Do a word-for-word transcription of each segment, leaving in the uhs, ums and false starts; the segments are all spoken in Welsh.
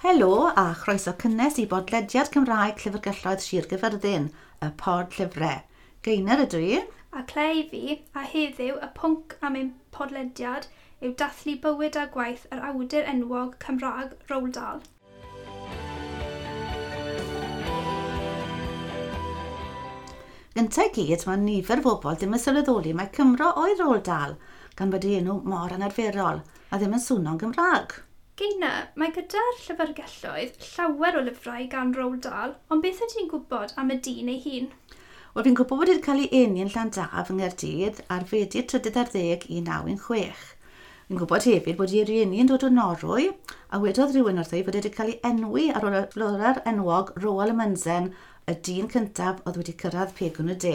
Helo a chroeso cynnes i bodlediad Cymraeg Llyfrgelloedd Sir Gyfyrddin, y pod llyfrau. Gaynor ydw i. A Claire fi, a heddiw y pwnc am ein podlediad yw dathlu bywyd a gwaith yr awdur enwog Cymraeg Roald Dahl. Gyntaf gyd, mae nifer o bobl ddim yn sylweddoli mae Cymro oedd Roald Dahl, gan bod ei enw mor anarferol a ddim yn swno'n Gymraeg. Geina, mae gyda'r llyfrgelloedd llawer o lyfrau gan Roald Dahl, ond beth ydych chi'n gwybod am y dyn ei hun? Wel, fi'n gwybod bod wedi cael ei eni yn Llandaf yng Nghaerdydd ar Fedi trydydd ar ddeg un naw un chwech. Fi'n gwybod hefyd bod ei rieni yn dod o Norwy, a wedodd rhywun wrtho i fod wedi cael ei enwi ar ôl y florwr enwog Roald Amundsen, y dyn cyntaf oedd wedi cyrraedd pegwn y de.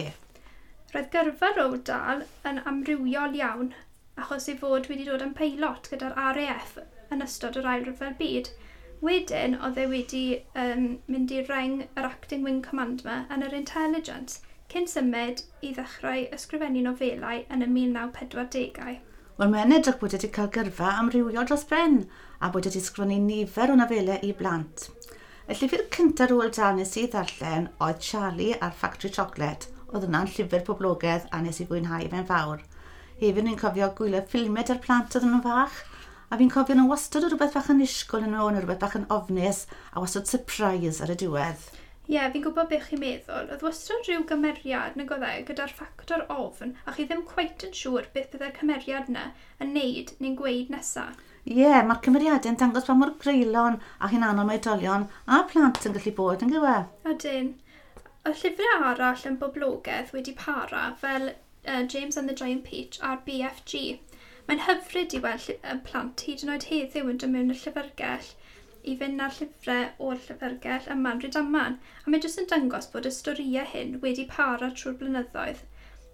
Roedd gyrfa Roald Dahl yn amrywiol iawn, achos ei fod wedi dod yn peilot gyda'r R A F yn ystod yr Ail Ryfel Byd. Wedyn, oedd e wedi um, mynd i reng yr Acting Wing Commander yn yr Intelligence, cyn symud i ddechrau ysgrifennu nofelau yn y mil naw pedwar degau. Wel, mae'n edrych bod wedi cael gyrfa amrywiol dros ben a bod wedi ysgrifennu nifer o nofelau i blant. Y llyfr cyntaf Roald Dahl nes i ddarllen oedd Charlie a'r Factory Chocolate. Oedd hwnna'n llyfr poblogaidd a nes i fwynhau fe'n fawr. Hefyd ni'n cofio gwylio ffilmiau da'r plant oedd yn fach, a fi'n cofio nhw wastad o rhywbeth bach yn annisgwyl yn nhw, neu rhywbeth bach yn ofnus, a wastad surprise ar y diwedd. Ie, yeah, fi'n gwybod beth chi'n meddwl. Oedd wastad rhyw gymeriad nag oedd e gyda'r ffactor ofn, a chi ddim cweit yn siŵr beth byddai'r cymeriad yna yn neud neu'n gweud nesaf. Ie, yeah, mae'r cymeriadau'n dangos pa mor greulon a hunanol mae oedolion a plant yn gallu bod yn gywe. Ydyn. Y llyfrau arall yn boblogaidd wedi para fel uh, James and the Giant Peach a'r B F G. Mae'n hyfryd i weld y plant hyd yn oed heddiw yn dod mewn i'r llyfrgell i fynd â'r llyfrau o'r llyfrgell yma'n Rhydaman, a mae jyst yn dangos bod y storïau hyn wedi para trwy'r blynyddoedd.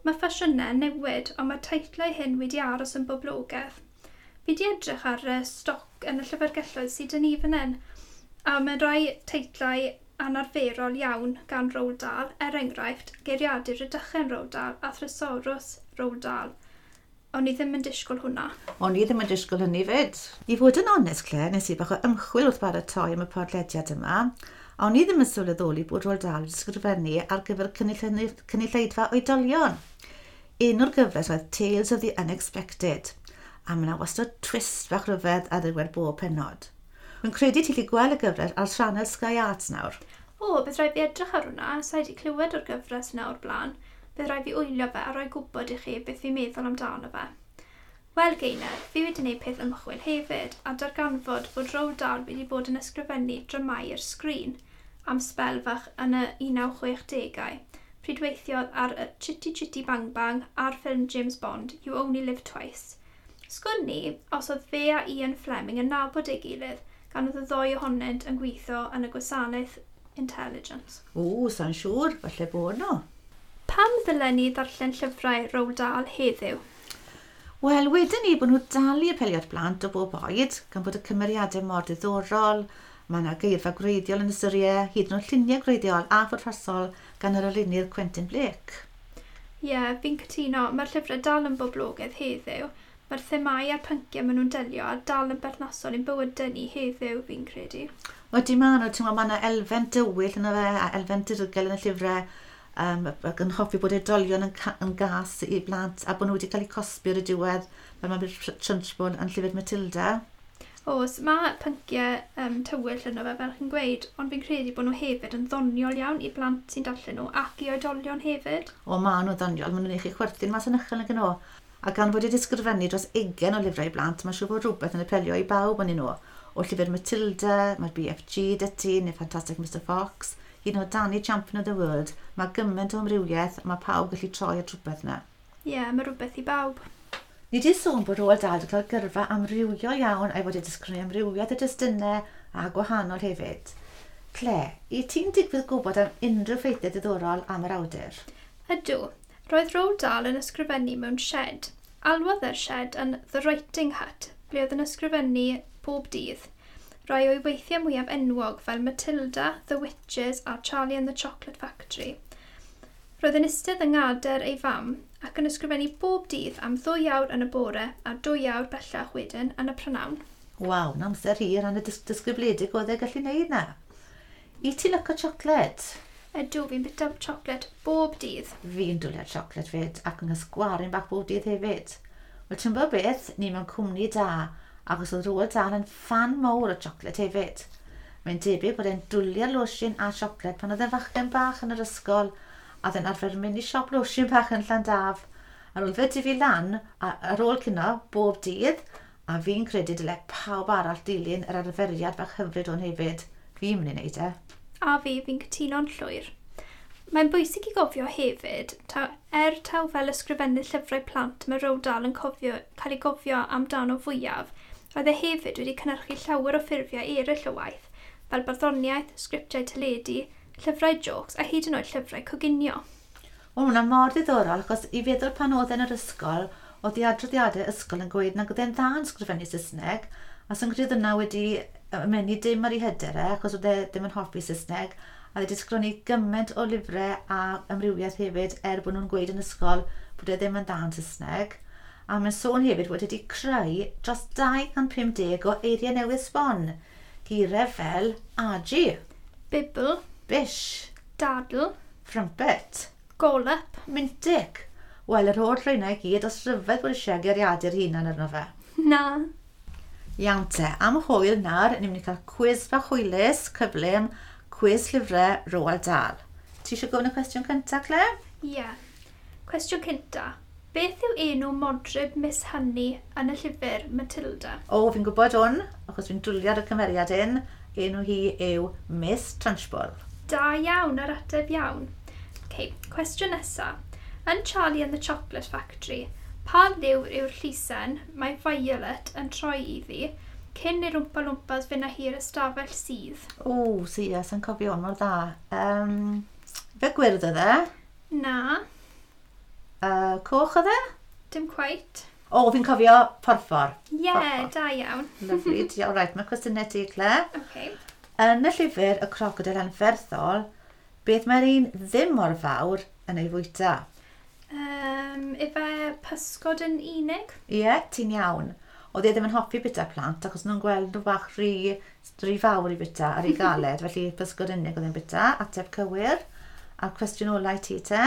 Mae ffasiynau newid, ond mae'r teitlau hyn wedi aros yn boblogaidd. Fi wedi edrych ar y stoc yn y llyfrgelloedd sydd yn ni fan hyn, a mae rhai teitlau anarferol iawn gan Roald Dahl, er enghraifft Geiriadur Rhydychen Roald Dahl a Thrysorws Roald Dahl. O'n i ddim yn disgwyl hwnna. O'n i ddim yn disgwyl hynny fyd. I fod yn onest, Claire, nes i bach o ymchwil wrth baratoi am y podlediad yma, a o'n i ddim yn sylweddoli bod Roald Dahl wedi ysgrifennu ar gyfer cynulleidfa oedolion. Un o'r gyfres oedd Tales of the Unexpected, a mae yna wastad twist bach rhyfedd ar ddiwedd bob pennod. Wy'n credu ti'n gallu gweld y gyfres ar sianel Sky Arts nawr. O, bydd rhaid fi edrych ar hwnna, sa i wedi clywed o'r gyfres yna o'r blaen. Bydd rhaid fi wylio fe a rhoi gwybod i chi beth fi'n meddwl amdano fe. Wel, Gaynor, fi wedi gwneud peth ymchwil hefyd a darganfod bod Roald Dahl wedi bod yn ysgrifennu dramâu i'r sgrin am sbel fach yn y un naw chwech degau, pryd weithiodd ar y Chitty Chitty Bang Bang a'r ffilm James Bond, You Only Live Twice. Sgwn ni os oedd fe a Ian Fleming yn nabod ei gilydd gan oedd y ddoi ohonynt yn gweithio yn y gwasanaeth Intelligence. O, sa'n siŵr, falle bod nhw. Pam ddylen ni ddarllen llyfrau Roald Dahl heddiw? Wel, wedyn ni bod nhw dal i apelio at blant o bob oed, gan bod y cymeriadau mor diddorol, mae yna geirfa gwreiddiol yn y storiau, hyd yn oed lluniau gwreiddiol a phwrpasol gan yr arlunydd Quentin Blake. Ie, yeah, fi'n cytuno. Mae'r llyfrau dal yn boblogaidd heddiw. Mae'r themâu a'r pynciau maen nhw'n delio a dal yn berthnasol i'n bywydau ni heddiw, fi'n credu. Wedi maen nhw, ti'n gwybod, mae yna elfen dywyll yna fe, a elfen dirgel yn y llyfrau, um, ac yn hoffi bod oedolion yn, yn gas i blant a bod nhw wedi cael eu cosbi ar y diwedd fel mae Trunchbull yn llyfr Matilda. Oes, mae pynciau um, tywyll yno fe, fel chi'n gweud, ond fi'n credu bod nhw hefyd yn ddoniol iawn i blant sy'n darllen nhw ac i oedolion hefyd. O, maen nhw ddoniol, maen nhw'n eich chwerthin mas yn uchel nag nhw. A gan fod wedi ysgrifennu dros ugain o lyfrau i blant, mae'n siŵr bod rhywbeth yn apelio i bawb yn nhw. O llyfr Matilda, mae'r B F G 'da ti, neu Fantastic Mister Fox, hyd yn oed Danny Champion of the World, mae gymaint o amrywiaeth a mae pawb gallu troi at rhywbeth yna. Ie, yeah, mae rhywbeth i bawb. Ni wedi sôn bod Roald Dahl wedi cael gyrfa amrywiol iawn a'i fod wedi ysgrifennu amrywiaeth o destunau a gwahanol hefyd. Claire, i ti'n digwydd gwybod am unrhyw ffeithiau diddorol am yr awdur? Ydw. Roedd Roald Dahl yn ysgrifennu mewn shed. Alwodd e'r shed yn The Writing Hut, ble oedd yn ysgrifennu bob dydd. Rai o'i weithiau mwyaf enwog fel Matilda, The Witches a Charlie and the Chocolate Factory. Roedd yn eistedd yng ngadair ei fam ac yn ysgrifennu bob dydd am ddwy awr yn y bore a dwy awr bellach wedyn yn y prynhawn. Waw, na amser hir a'n y dis disgybledig oedd e gallu neud na. I ti lyco siocled? Ydw, fi'n bita siocled bob dydd. Fi'n dwlu ar siocled fyd ac yn ysgwarin bach bob dydd hefyd. Wel, ti'n bod beth, ni mewn cwmni da, achos oedd Roald Dahl yn ffan mawr o siocled hefyd. Mae'n debyg bod e'n dwlu ar losin a siocled pan oedd e'n fachgen bach yn yr ysgol, a oedd e'n arfer mynd i siop losin bach yn Llandaf. Ar ôl fe dyfu lan, a, ar ôl cino, bob dydd, a fi'n credu dyle pawb arall dilyn yr arferiad bach hyfryd hwn hefyd. Fi'n mynd i wneud e. A fi, fi'n cytuno'n llwyr. Mae'n bwysig i gofio hefyd, taw, er taw fel ysgrifennydd llyfrau plant mae Roald Dahl yn cofio, cael ei gofio amdano fwyaf, roedd e hefyd wedi cynhyrchu llawer o ffurfiau eraill o waith, fel barddoniaeth, sgriptiau teledu, llyfrau jôcs a hyd yn oed llyfrau coginio. Wel, hwnna mor ddiddorol, achos i feddwl pan oedd e'n yr ysgol, oedd ei adroddiadau ysgol yn gweud nag oedd e'n dda yn sgrifennu Saesneg, a sy'n credu yna wedi ymenu dim ar ei hyder e, achos oedd e ddim yn hoffi Saesneg, a wedi sgrifennu gymaint o lyfrau a amrywiaeth hefyd, er bod nhw'n gweud yn ysgol bod e ddim yn dda yn Saesneg. A mae'n sôn hefyd bod wedi creu dros dau cant pum deg o eiriau newydd sbon. Geiriau fel agi, Bibl, bish, dadl, frumpet, golop, mintic. Wel, yr holl rheina i gyd, os rhyfedd bod eisiau geiriadur hunan arno fe. Na. Iawn te, am hwyl nawr, ni'n mynd i cael cwis bach hwylus, cyflym, cwis llyfrau Roald Dahl. Ti eisiau gofyn y cwestiwn cyntaf, Claire? Ie. Yeah. Cwestiwn cyntaf. Beth yw enw modryb Miss Honey yn y llyfr Matilda? O, fi'n gwybod hwn, achos fi'n dwlu ar y cymeriad hyn. Enw hi yw Miss Trunchbull. Da iawn, yr ateb iawn. Okay, cwestiwn nesaf. Yn Charlie and the Chocolate Factory, pa liw yw'r llysen mae Violet yn troi iddi cyn i'r Wmpa Lwmpas fynd â hi'r ystafell sydd? O, si, yes, yn cofio hwn mor dda. Um, fe gwyrdd oedd e? Na. Uh, coch oedd e? Dim quite. O, fi'n cofio porffor. Ie, yeah, da iawn. Lovely, diolch. Right, mae cwestiynau ti, Claire. Okay. Yn y llyfr Y Crocodil Anferthol, beth mae'r un ddim mor fawr yn ei fwyta? Um, ife pysgod yn unig? Ie, yeah, ti'n iawn. Oedd e ddim yn hoffi bita plant, achos nhw'n gweld nhw bach rhy, rhy fawr i bita a rhy galed, felly pysgod unig oedd e'n bita, ateb cywir. A'r cwestiwn ola i ti te,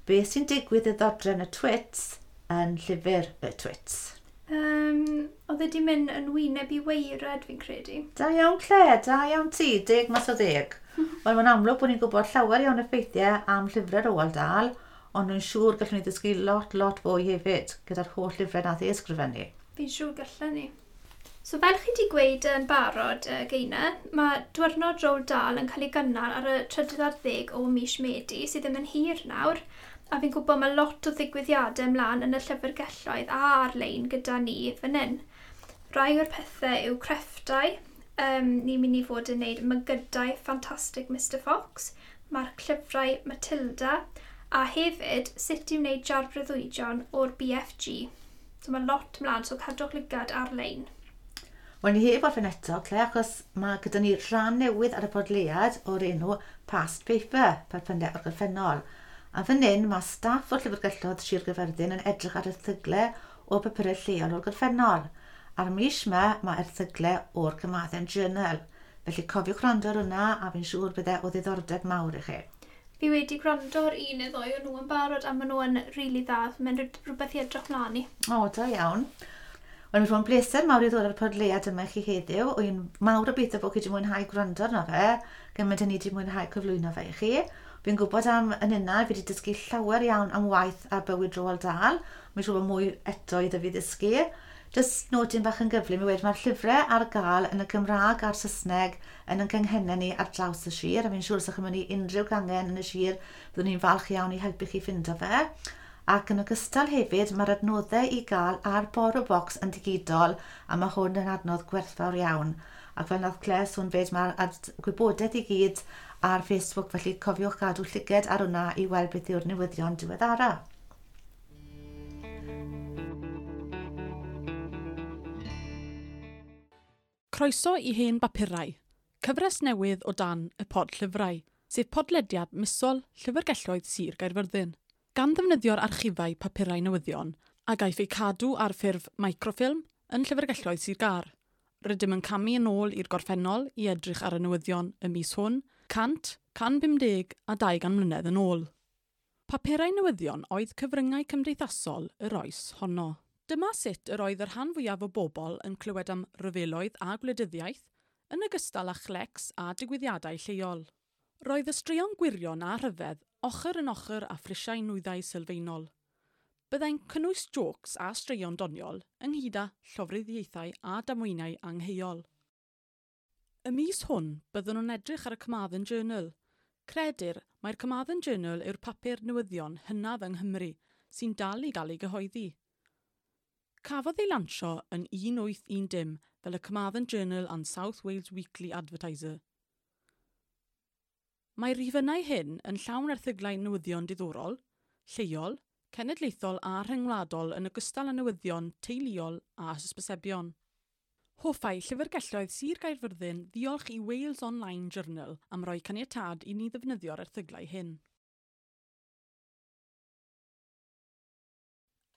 beth sy'n digwydd i ddodrefn y Twits yn llyfr y Twits? Um, oedd wedi mynd yn wyneb i weired, fi'n credu. Da iawn, Claire, da iawn ti, deg mas o ddeg. Wel, mae'n amlwg bod ni'n gwybod llawer iawn o ffeithiau am llyfrau Roald Dahl, ond nhw'n siŵr gallwn ni ddysgu lot, lot fwy hefyd gyda'r holl lyfrau nath ei ysgrifennu. Fi'n siŵr gallwn ni. So fel chi wedi gweud yn barod, uh, Geina, mae diwrnod Roald Dahl yn cael ei gynnal ar y trydydd ar ddeg o mis Medi, sydd ddim yn hir nawr, a fi'n gwybod mae lot o ddigwyddiadau ymlaen yn y llyfrgelloedd a ar-lein gyda ni fan hyn. Rai o'r pethau yw crefftau, um, ni'n mynd i fod yn gwneud mygydau ffantastig Mister Fox, mae'r llyfrau Matilda, a hefyd sut i wneud jar breuddwydion o'r B F G. So mae lot ymlaen, so cadwch lygad ar-lein. Wel, ni heb orffen eto, Claire, achos mae gyda ni rhan newydd ar y podleiad o'r enw Past Paper, papurau o'r gorffennol. A fan hyn, mae staff o'r Llyfrgelloedd Sir Gaerfyrddin yn edrych ar erthyglau o papurau lleol o'r gorffennol. A'r mis yma, mae erthyglau o'r Carmarthen Journal. Felly cofiwch wrando ar hwnna, a fi'n siŵr bydde o ddiddordeb mawr i chi. Fi wedi gwrando ar un neu ddoi o nhw yn barod, a maen nhw yn rili dda. Mae'n rhywbeth i edrych mlaen i. O, da iawn. Wel, mae'n bleser mawr i ddod ar y podleiad yma i chi heddiw. Wy'n mawr obeithio bod chi wedi mwynhau gwrando arno fe, gymaint ni wedi mwynhau cyflwyno fe i chi. Fi'n gwybod am yn yna, fi wedi dysgu llawer iawn am waith a bywyd Roald Dahl. Mae'n siŵr bod mwy eto iddo fi ddysgu. Jyst nodyn bach yn gyflym i wedi mae'r llyfrau ar gael yn y Gymraeg a'r Saesneg yn ein canghennau ni ar draws y sir, a fi'n siŵr os ydych chi'n mynd i unrhyw gangen yn y sir, byddwn ni'n falch iawn i helpu chi ffindo fe. Ac yn ogystal hefyd, mae'r adnoddau i gael ar BorrowBox yn digidol, a mae hwn yn adnodd gwerthfawr iawn. Ac fel nath Claire sôn fyd, mae'r gwybodaeth i gyd ar Facebook, felly cofiwch gadw llyged ar hwnna i weld beth yw'r newyddion diweddara. Croeso i hen bapurau, cyfres newydd o dan y pod llyfrau, sef podlediad misol Llyfrgelloedd Sir Gaerfyrddin. Gan ddefnyddio'r archifau papurau newyddion, a gaiff eu cadw ar ffurf microfilm yn Llyfrgelloedd Sir Gâr. Rydym yn camu yn ôl i'r gorffennol i edrych ar y newyddion y mis hwn, cant, can bumdeg a dau gan mlynedd yn ôl. Papurau newyddion oedd cyfryngau cymdeithasol yr oes honno. Dyma sut yr oedd y rhan fwyaf o bobl yn clywed am ryfeloedd a gwleidyddiaeth, yn ogystal â chlecs a digwyddiadau lleol. Roedd y straeon gwirion a rhyfedd ochr yn ochr â phrisiau nwyddau sylfaenol. Byddai'n cynnwys jôcs a straeon doniol ynghyd â llofruddiaethau a damweiniau angheuol. Y mis hwn byddwn yn edrych ar y Carmarthen Journal. Credir mai'r Carmarthen Journal yw'r papur newyddion hynaf yng Nghymru sy'n dal i gael ei gyhoeddi. Cafodd ei lansio yn un wyth un dim fel y Carmarthen Journal and South Wales Weekly Advertiser. Mae'r rhifynnau hyn yn llawn erthyglau newyddion diddorol, lleol, cenedlaethol a rhyngwladol yn ogystal â newyddion teuluol a hysbysebion. Hoffai llyfrgelloedd Sir Gaerfyrddin ddiolch i Wales Online Journal am roi caniatâd i ni ddefnyddio'r erthyglau hyn.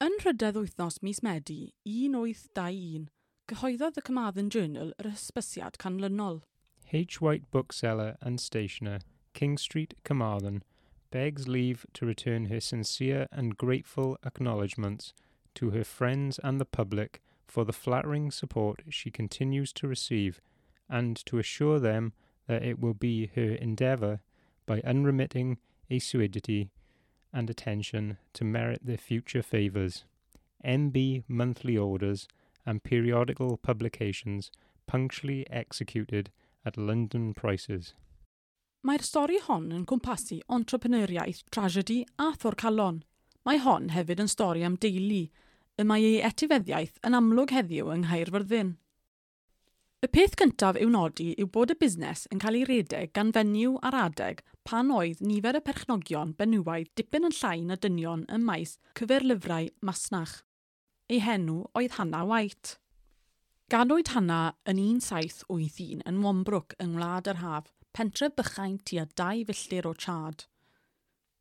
Yn nhrydedd wythnos mis Medi un wyth dau un, cyhoeddodd y Carmarthen Journal yr hysbysiad canlynol. H. White Bookseller and Stationer, King Street, Carmarthen, begs leave to return her sincere and grateful acknowledgements to her friends and the public for the flattering support she continues to receive, and to assure them that it will be her endeavour, by unremitting assiduity and attention, to merit their future favours. M B monthly orders and periodical publications punctually executed at London prices. Mae'r stori hon yn cwmpasu entrepreneuriaeth, tragedy a thorcalon. Mae hon hefyd yn stori am deulu, y mae ei etifeddiaeth yn amlwg heddiw yng Nghaerfyrddin. Y peth cyntaf i'w nodi yw bod y busnes yn cael ei redeg gan fenyw ar adeg pan oedd nifer y perchnogion benywaidd dipyn yn llai na dynion ym maes cyferlyfrau masnach. Ei henw oedd Hannah White. Ganwyd Hannah yn un saith wyth un yn Wambrook yng Ngwlad yr Haf, pentref bychain tua dau filltir o Chard.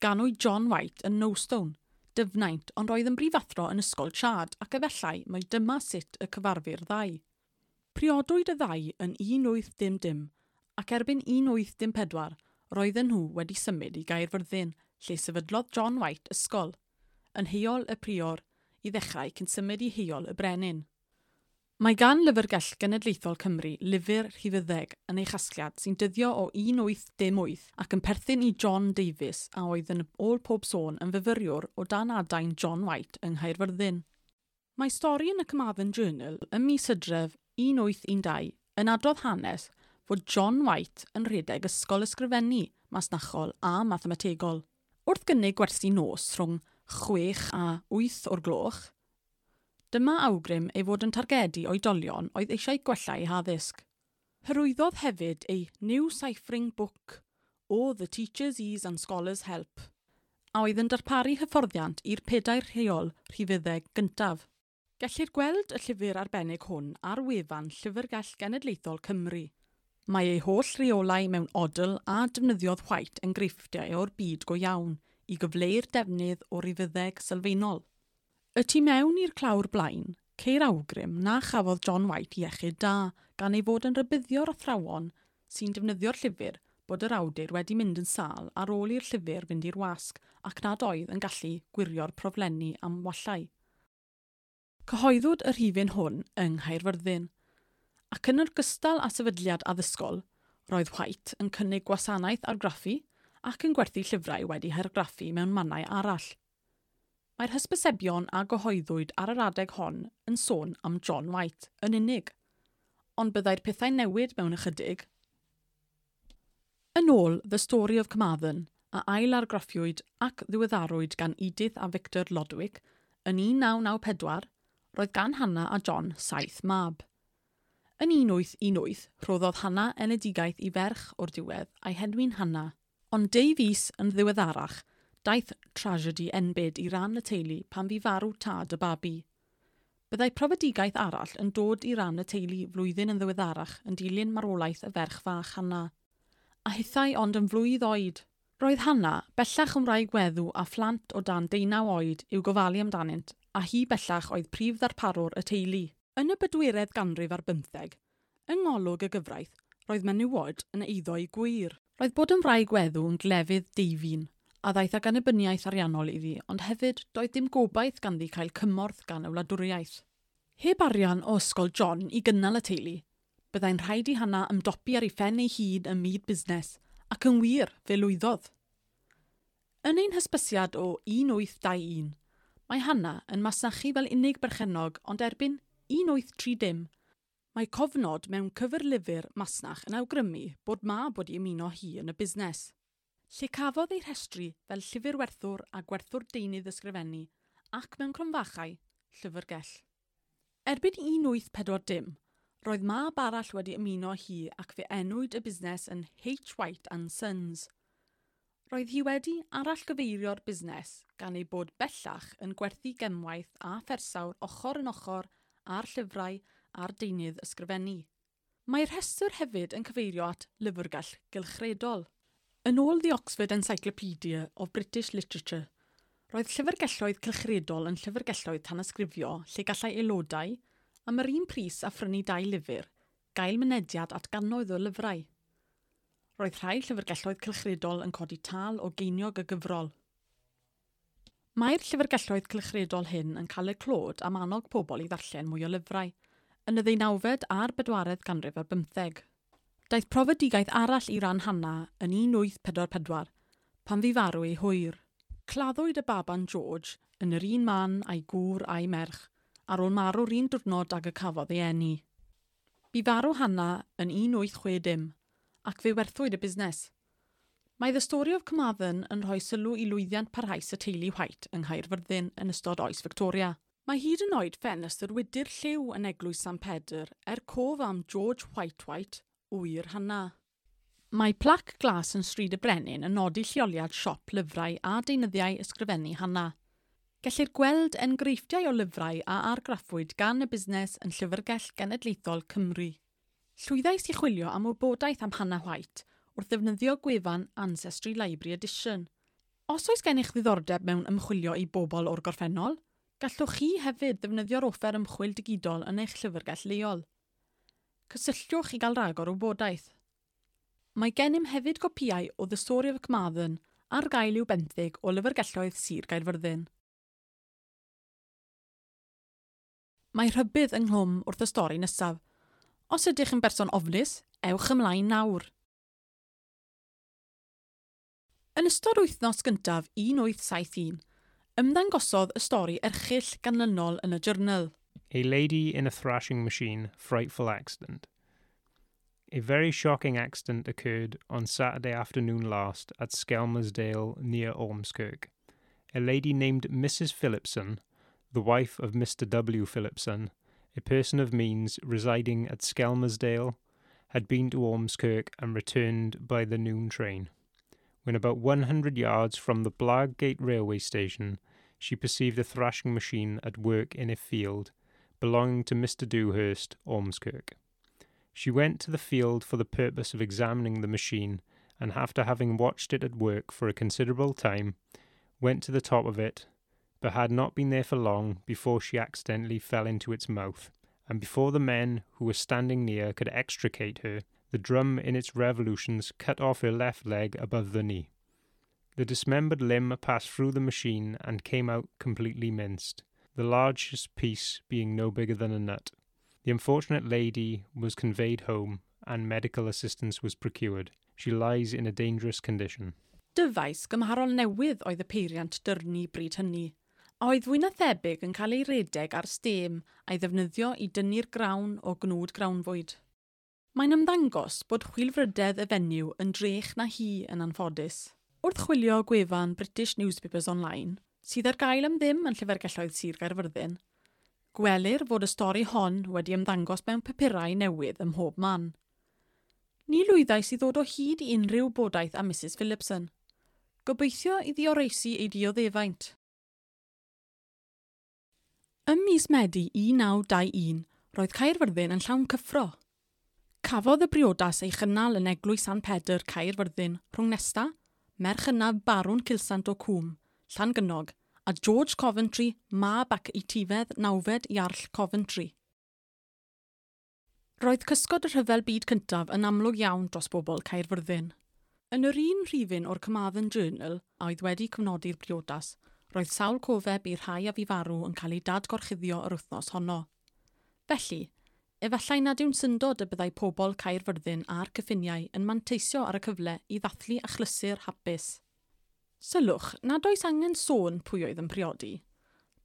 Ganwyd John White yn Knowstone, Dyfnaint, ond roedd yn brifathro yn ysgol Chard ac efallai mai dyma sut y cyfarfu'r ddau. Priodwyd y ddau yn un wyth dim dim, ac erbyn un wyth dim pedwar, roedden nhw wedi symud i Gaerfyrddin, lle sefydlodd John White ysgol, yn Heol y Prior, i ddechrau cyn symud i Heol y Brenin. Mae gan Lyfrgell Genedlaethol Cymru lyfr rhifyddeg yn ei chasgliad sy'n dyddio o un wyth dim wyth ac yn perthyn i John Davies a oedd yn ôl pob sôn yn fyfyriwr o dan adain John White yng Nghaerfyrddin. Mae stori yn y Carmarthen Journal ym mis Hydref un wyth un dau yn adrodd hanes fod John White yn rhedeg ysgol ysgrifennu, masnachol a mathemategol. Wrth gynnig gwersi nos rhwng chwech a wyth o'r gloch, dyma awgrym ei fod yn targedu oedolion oedd eisiau gwella eu haddysg. Hyrwyddodd hefyd ei New Ciphering Book o The Teacher's Ease and Scholars Help, a oedd yn darparu hyfforddiant i'r pedair rheol rhifyddeg gyntaf. Gellir gweld y llyfr arbennig hwn ar wefan Llyfrgell Genedlaethol Cymru. Mae ei holl reolau mewn odl a defnyddiodd White enghreifftiau o'r byd go iawn i gyfleu'r defnydd o rifyddeg sylfaenol. Y tu mewn i'r clawr blaen, ceir awgrym na chafodd John White iechyd da gan ei fod yn rhybuddio'r athrawon sy'n defnyddio'r llyfr bod yr awdur wedi mynd yn sâl ar ôl i'r llyfr fynd i'r wasg ac nad oedd yn gallu gwirio'r proflenni am wallau. Cyhoeddwyd y rhifyn hwn yng Nghaerfyrddin, ac yn ogystal â sefydliad addysgol, roedd White yn cynnig gwasanaeth argraffu ac yn gwerthu llyfrau wedi hargraffu mewn mannau arall. Mae'r hysbysebion a gyhoeddwyd ar yr adeg hon yn sôn am John White yn unig, ond byddai'r pethau newid mewn ychydig. Yn ôl The Story of Carmarthen, a ail-argraffiwyd ac ddiweddarwyd gan Edith a Victor Lodwick yn un naw naw pedwar, roedd gan Hannah a John saith mab. Yn un wyth un wyth, rhoddodd Hannah enedigaeth i ferch o'r diwedd a'i henwi'n Hannah, ond deu fis yn ddiweddarach, daeth tragedy enbyd i ran y teulu pan fu farw tad y babi. Byddai profedigaeth arall yn dod i ran y teulu flwyddyn yn ddiweddarach yn dilyn marwolaeth y ferch fach Hannah. A hithau ond yn flwydd oed. Roedd Hannah bellach yn wraig weddw a phlant o dan deunaw oed i'w gofalu amdanynt, a hi bellach oedd prif ddarparwr y teulu. Yn y bedwaredd ganrif ar bymtheg, Yng ngolwg y gyfraith, roedd menywod yn eiddo i gwir. Roedd bod yn wraig weddw yn glefydd deifin, a ddaeth ag annibyniaeth ariannol iddi, ond hefyd doedd dim gobaith ganddi cael cymorth gan y wladwriaeth. Heb arian o ysgol John i gynnal y teulu, byddai'n rhaid i Hannah ymdopi ar ei phen ei hun ym myd busnes, ac yn wir, fe lwyddodd. Yn ein hysbysiad o un wyth dau un, mae Hannah yn masnachu fel unig berchennog, ond erbyn un wyth tri dim, mae cofnod mewn cyfrlyfr masnach yn awgrymu bod mab wedi ymuno hi yn y busnes, lle cafodd ei rhestru fel llyfrwerthwr a gwerthwr deunydd ysgrifennu ac mewn cromfachau llyfrgell. Erbyn un wyth pedwar dim, roedd mab arall wedi ymuno hi ac fe enwyd y busnes yn H. White and Sons. Roedd hi wedi arallgyfeirio'r busnes gan ei bod bellach yn gwerthu gemwaith a phersawr ochr yn ochr a'r llyfrau a'r deunydd ysgrifennu. Mae'r rhestr hefyd yn cyfeirio at lyfrgell gylchredol. Yn ôl The Oxford Encyclopedia of British Literature, roedd llyfrgelloedd cylchredol yn llyfrgelloedd tanysgrifio lle gallai aelodau, am yr un pris a phrynu dau lyfr, gael mynediad at gannoedd o lyfrau. Roedd rhai llyfrgelloedd cylchredol yn codi tâl o geiniog y gyfrol. Mae'r llyfrgelloedd cylchredol hyn yn cael eu clod am annog pobl i ddarllen mwy o lyfrau, yn y ddeunawfed a'r bedwaredd ganrif ar bymtheg. Daeth profedigaeth arall i ran Hannah yn un wyth pedwar pedwar, pan fu farw ei hwyr. Claddwyd y baban George yn yr un man a'i gŵr a'i merch, ar ôl marw'r un diwrnod ag y cafodd ei eni. Bu farw Hannah yn un wyth chwe dim, ac fe werthwyd y busnes. Mae The Story of Carmarthen yn rhoi sylw i lwyddiant parhaus y teulu White yng Nghaerfyrddin yn ystod oes Victoria. Mae hyd yn oed ffenestr wydr lliw yn eglwys San Pedr er cof am George White White, ŵyr Hannah. Mae plac glas yn Stryd y Brenin yn nodi lleoliad siop lyfrau a deunyddiau ysgrifennu Hannah. Gellir gweld enghreifftiau o lyfrau a argraffwyd gan y busnes yn Llyfrgell Genedlaethol Cymru. Llwyddais i chwilio am wybodaeth am Hannah White wrth ddefnyddio gwefan Ancestry Library Edition. Os oes gennych ddiddordeb mewn ymchwilio i bobl o'r gorffennol, gallwch chi hefyd ddefnyddio'r offer ymchwil digidol yn eich llyfrgell leol. Cysylltwch i gael rhagor o wybodaeth. Mae gennym hefyd gopïau o The Story of Carmarthen ar gael i'w benthyg o lyfrgelloedd Sir Gaerfyrddin. Mae rhybudd ynghlwm wrth y stori nesaf. Os ydych yn berson ofnus, ewch ymlaen nawr. Yn ystod wythnos gyntaf un wyth saith un, ymddangosodd y stori erchyll ganlynol yn y journal. A lady in a thrashing machine, frightful accident. A very shocking accident occurred on Saturday afternoon last at Skelmersdale near Ormskirk. A lady named Missus Phillipson, the wife of Mister W. Phillipson, a person of means residing at Skelmersdale, had been to Ormskirk and returned by the noon train. When about one hundred yards from the Blackgate railway station, she perceived a thrashing machine at work in a field belonging to Mister Dewhurst, Ormskirk. She went to the field for the purpose of examining the machine, and after having watched it at work for a considerable time, went to the top of it, but had not been there for long before she accidentally fell into its mouth, and before the men who were standing near could extricate her, the drum in its revolutions cut off her left leg above the knee. The dismembered limb passed through the machine and came out completely minced, the largest piece being no bigger than a nut. The unfortunate lady was conveyed home and medical assistance was procured. She lies in a dangerous condition. Dyfais gymharol newydd oedd y peiriant dyrnu bryd hynny, a oedd fwy na thebyg yn cael ei redeg ar stêm a'i ddefnyddio i dynnu'r grawn o gnwd grawnfwyd. Mae'n ymddangos bod chwilfrydedd y fenyw yn drech na hi yn anffodus. Wrth chwilio gwefan British Newspapers Online, sydd ar gael am ddim yn llyfrgelloedd Sir Gaerfyrddin, gwelir fod y stori hon wedi ymddangos mewn papurau newydd ym mhob man. Ni lwyddais i ddod o hyd i unrhyw wybodaeth am Missus Phillipson. Gobeithio iddi oroesi ei dioddefaint. Ym mis Medi un naw dau un, roedd Caerfyrddin yn llawn cyffro. Cafodd y briodas ei chynnal yn eglwys San Pedr Caerfyrddin rhwng Nesta, merch hynaf Barwn Cilsant o Cwm, Llangynog, a George Coventry, mab ac etifedd nawfed Iarll Coventry. Roedd cysgod y rhyfel byd cyntaf yn amlwg iawn dros bobl Caerfyrddin. Yn yr un rhifyn o'r Carmarthen Journal a oedd wedi cofnodi'r briodas, roedd sawl cofeb i'r rhai a fu farw yn cael ei dadgorchuddio yr wythnos honno. Felly, efallai nad yw'n syndod y byddai pobl Caerfyrddin a'r cyffiniau yn manteisio ar y cyfle i ddathlu achlysur hapus. Sylwch nad oes angen sôn pwy oedd yn priodi.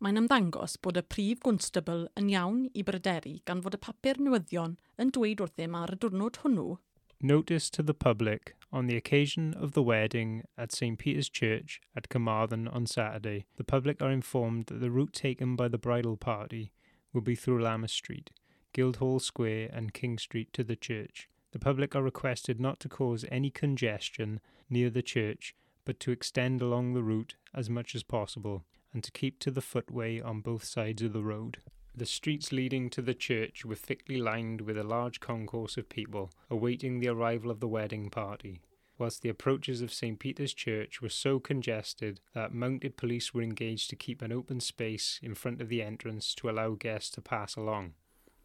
Mae'n ymddangos bod y prif gwnstabl yn iawn i bryderu gan fod y papur newyddion yn dweud wrthym ar y diwrnod hwnnw Notice to the public on the occasion of the wedding at St Peter's Church at Carmarthen on Saturday, the public are informed that the route taken by the bridal party will be through Lammas Street, Guildhall Square, and King Street to the church. The public are requested not to cause any congestion near the church, but to extend along the route as much as possible, and to keep to the footway on both sides of the road. The streets leading to the church were thickly lined with a large concourse of people awaiting the arrival of the wedding party, whilst the approaches of St Peter's Church were so congested that mounted police were engaged to keep an open space in front of the entrance to allow guests to pass along.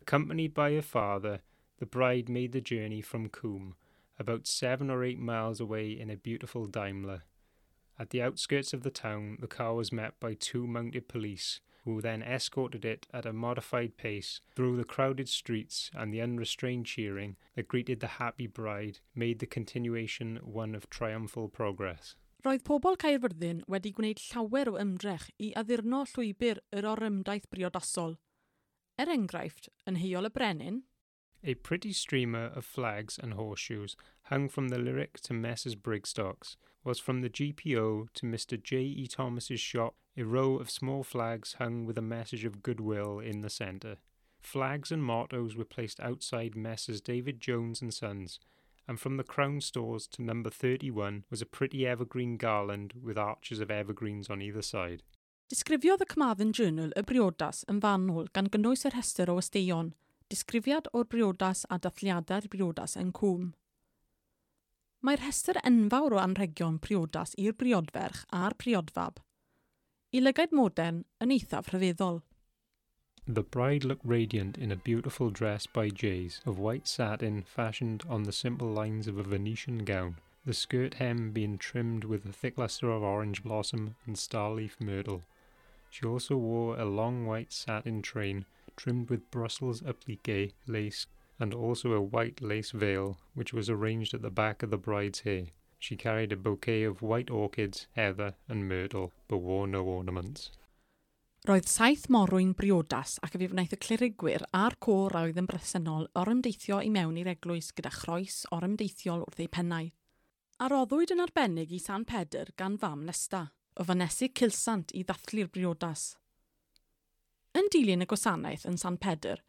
Accompanied by her father, the bride made the journey from Coombe, about seven or eight miles away in a beautiful Daimler. At the outskirts of the town, the car was met by two mounted police, who then escorted it at a modified pace through the crowded streets, and the unrestrained cheering that greeted the happy bride made the continuation one of triumphal progress. Roedd pobl Caerfyrddin wedi gwneud llawer o ymdrech i addurno llwybr yr orymdaith briodasol. Er enghraifft, yn Heol y Brenin, A pretty streamer of flags and horseshoes hung from the Lyric to Messrs. Brigstock's, whilst from the GPO to Mr. J. E. Thomas's shop a row of small flags hung with a message of goodwill in the centre. Flags and mottos were placed outside Messrs. David Jones and Sons, and from the Crown Stores to number thirty-one was a pretty evergreen garland with arches of evergreens on either side. Disgrifiodd y Carmarthen Journal y briodas yn fanwl gan gynnwys yr rhestr o westeion, disgrifiad o'r briodas a dathliadau'r briodas yn Cwm. Mae'r rhestr enfawr o anrhegion priodas i'r briodferch a'r priodfab. I lygaid modern yn eithaf rhyfeddol. The bride looked radiant in a beautiful dress by Jayes, of white satin fashioned on the simple lines of a Venetian gown, the skirt hem being trimmed with a thick cluster of orange blossom and star-leaf myrtle. She also wore a long white satin train trimmed with Brussels applique lace and also a white lace veil which was arranged at the back of the bride's hair. She carried a bouquet of white orchids, heather and myrtle, but wore no ornaments. Roedd saith morwyn briodas ac fe wnaeth y clerigwyr a'r côr a oedd yn bresennol orymdeithio i mewn i'r eglwys gyda chroes orymdeithiol wrth eu pennau. A roddwyd yn arbennig i San Pedr gan fam Nesta, o Fonesig Cilsant i ddathlu'r briodas. Yn dilyn y gwasanaeth yn San Pedr,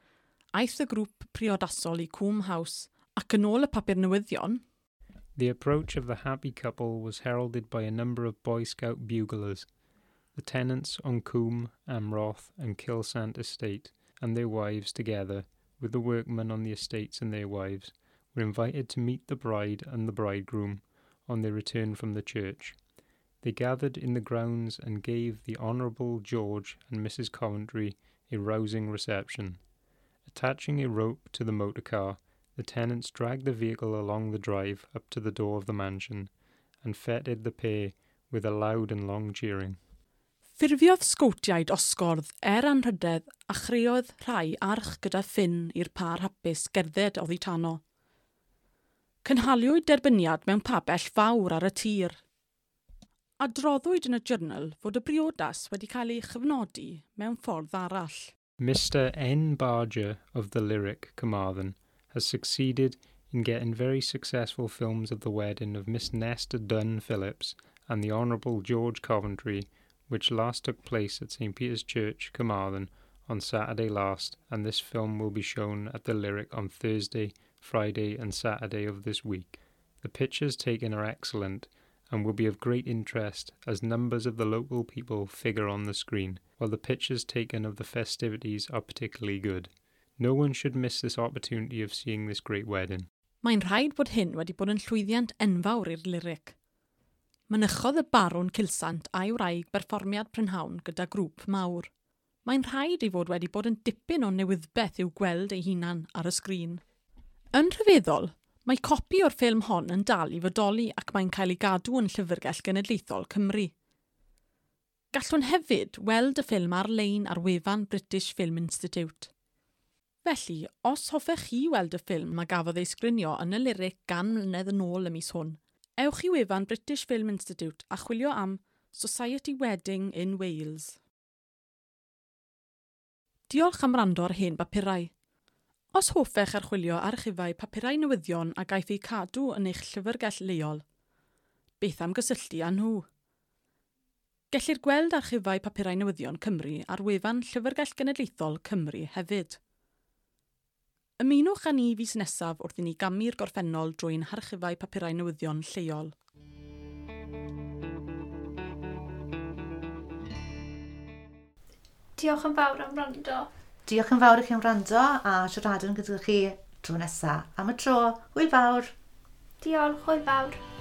aeth y grŵp priodasol i Coombe House ac yn ôl y papur newyddion, The approach of the happy couple was heralded by a number of Boy Scout buglers. The tenants on Coombe, Amroth, and Kylsant estate, and their wives together, with the workmen on the estates and their wives, were invited to meet the bride and the bridegroom on their return from the church. They gathered in the grounds and gave the Honourable George and Mrs. Coventry a rousing reception. Attaching a rope to the motor car, the tenants dragged the vehicle along the drive up to the door of the mansion, and feted the pair with a loud and long cheering. Ffurfiodd sgowtiaid osgordd er anrhydedd a chreodd rhai arch gyda ffyn i'r pâr hapus gerdded oddi tano. Cynhaliwyd derbyniad mewn pabell fawr ar y tir. Adroddwyd yn y journal fod y briodas wedi cael ei chyfnodi mewn ffordd arall. Mr. N. Barger of the Lyric, Carmarthen, has succeeded in getting very successful films of the wedding of Miss Nesta Dunn Phillips and the Honourable George Coventry, which last took place at St Peter's Church, Carmarthen, on Saturday last, and this film will be shown at the Lyric on Thursday, Friday, and Saturday of this week. The pictures taken are excellent and will be of great interest as numbers of the local people figure on the screen, while the pictures taken of the festivities are particularly good. No one should miss this opportunity of seeing this great wedding. Mae'n rhaid bod hyn wedi bod yn llwyddiant enfawr i'r Lyric. Mynychodd y barwn Cilsant a'i wraig berfformiad prynhawn gyda grŵp mawr. Mae'n rhaid ei fod wedi bod yn dipyn o newyddbeth i'w gweld ei hunan ar y sgrin. Yn rhyfeddol, mae copi o'r ffilm hon yn dal i fodoli ac mae'n cael ei gadw yn Llyfrgell Genedlaethol Cymru. Gallwn hefyd weld y ffilm ar-lein ar wefan British Film Institute. Felly, os hoffech chi weld y ffilm a gafodd ei sgrinio yn y Lyric gan mlynedd yn ôl y mis hwn, ewch i wefan British Film Institute a chwilio am Society Wedding in Wales. Diolch am wrando ar hen bapurau. Os hoffech archwilio archifau papurau newyddion a gaiff eu cadw yn eich llyfrgell leol, beth am gysylltu â nhw? Gellir gweld archifau papurau newyddion Cymru ar wefan Llyfrgell Genedlaethol Cymru hefyd. Ymunwch â ni fis nesaf wrth i ni gamu'r gorffennol drwy'n harchifau papurau newyddion lleol. Diolch yn fawr am wrando. Diolch yn fawr i chi am wrando a siaradwn gyda chi tro nesaf. Am y tro, hwyl fawr! Diolch, hwyl fawr!